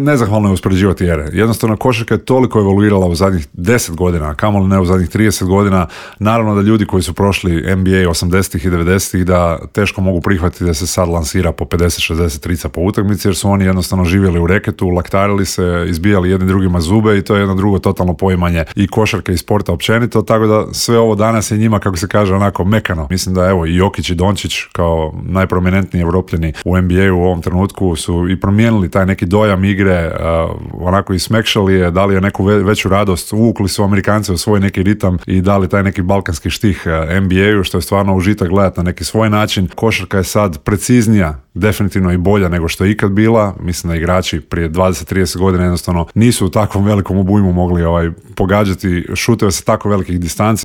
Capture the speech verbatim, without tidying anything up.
nezahvalno je uspoređivati ere. Jednostavno, košarka je toliko evoluirala u zadnjih deset godina, kamoli ne u zadnjih trideset godina. Naravno da ljudi koji su prošli N B A osamdesetih i devedesetih da teško mogu prihvatiti da se sad lansira po pedeset šezdeset trica po utakmici, jer su oni jednostavno živjeli u reketu, laktarili se, izbijali jedni drugima zube i to je jedno drugo totalno poimanje i košarke i sporta općenito, tako da sve ovo danas je njima, kako se kaže, onako mekano. Mislim da evo i Jokić i Dončić kao najprominentniji Evropljani u N B A-u u ovom trenutku su i promijenili taj neki dojam igre, uh, onako i smekšali je, dali je neku ve- veću radost, uvukli su Amerikance u svoj neki ritam i dali taj neki balkanski štih uh, N B A-u, što je stvarno užitak gledati na neki svoj način. Košarka je sad preciznija, definitivno i bolja nego što je ikad bila. Mislim da igrači prije dvadeset trideset godina jednostavno nisu u takvom velikom obujmu mogli ovaj, pogađati šuteve sa tako velikih distanci.